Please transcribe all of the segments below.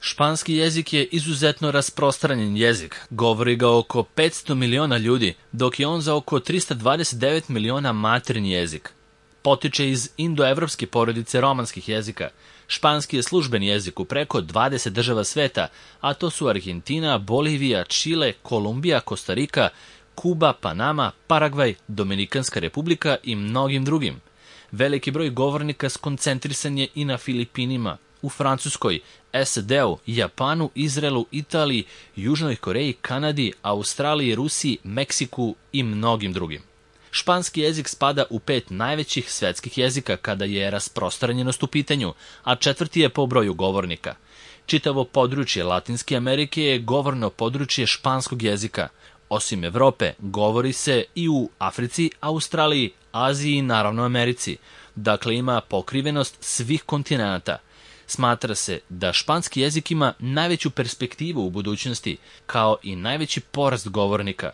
Španski jezik je izuzetno rasprostranjen jezik, govori ga oko 500 miliona ljudi, dok je on za oko 329 miliona maternji jezik. Potiče iz indoevropske porodice romanskih jezika. Španski je službeni jezik u preko 20 država sveta, a to su Argentina, Bolivija, Čile, Kolumbija, Kostarika, Kuba, Panama, Paragvaj, Dominikanska republika i mnogim drugim. Veliki broj govornika skoncentrisan je i na Filipinima, u Francuskoj, SAD-u, Japanu, Izraelu, Italiji, Južnoj Koreji, Kanadi, Australiji, Rusiji, Meksiku i mnogim drugim. Španski jezik spada u 5 najvećih svetskih jezika kada je rasprostranjenost u pitanju, a 4. je po broju govornika. Čitavo područje Latinske Amerike je govorno područje španskog jezika. Osim Evrope, govori se i u Africi, Australiji, Aziji i naravno Americi. Dakle, ima pokrivenost svih kontinenata. Smatra se da španski jezik ima najveću perspektivu u budućnosti, kao i najveći porast govornika.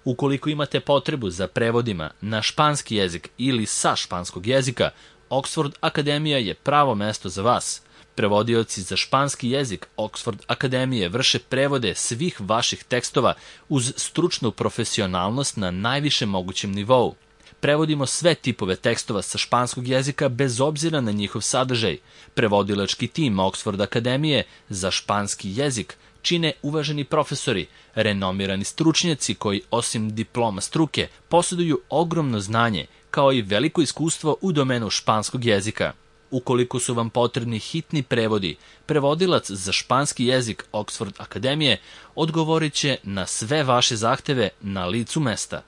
Ukoliko imate potrebu za prevodima na španski jezik ili sa španskog jezika, Oxford Akademija je pravo mesto za vas. Prevodioci za španski jezik Oxford Akademije vrše prevode svih vaših tekstova uz stručnu profesionalnost na najvišem mogućem nivou. Prevodimo sve tipove tekstova sa španskog jezika bez obzira na njihov sadržaj. Prevodilački tim Oxford Akademije za španski jezik čine uvaženi profesori, renomirani stručnjaci koji osim diploma struke posjeduju ogromno znanje kao i veliko iskustvo u domenu španskog jezika. Ukoliko su vam potrebni hitni prevodi, prevodilac za španski jezik Oxford Akademije odgovorit će na sve vaše zahteve na licu mesta.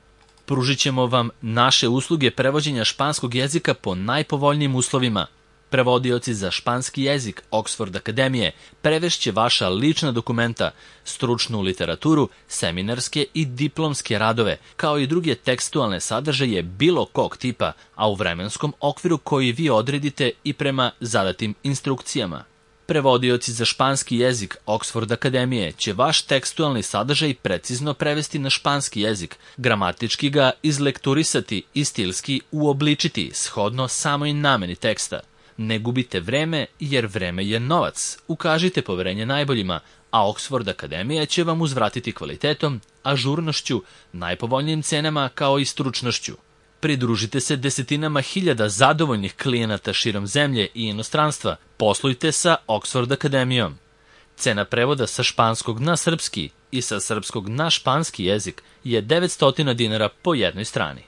Pružit ćemo vam naše usluge prevođenja španskog jezika po najpovoljnijim uslovima. Prevodioci za španski jezik Oxford Akademije prevešće vaša lična dokumenta, stručnu literaturu, seminarske i diplomske radove, kao i druge tekstualne sadržaje bilo kog tipa, a u vremenskom okviru koji vi odredite i prema zadatim instrukcijama. Prevodioci za španski jezik Oxford Akademije će vaš tekstualni sadržaj precizno prevesti na španski jezik, gramatički ga izlekturisati i stilski uobličiti shodno samoj nameni teksta. Ne gubite vreme, jer vreme je novac. Ukažite poverenje najboljima, a Oxford Akademija će vam uzvratiti kvalitetom, ažurnošću, najpovoljnijim cenama kao i stručnošću. Pridružite se desetinama hiljada zadovoljnih klijenata širom zemlje i inostranstva. Poslujte sa Oxford Akademijom. Cena prevoda sa španskog na srpski i sa srpskog na španski jezik je 900 dinara po jednoj strani.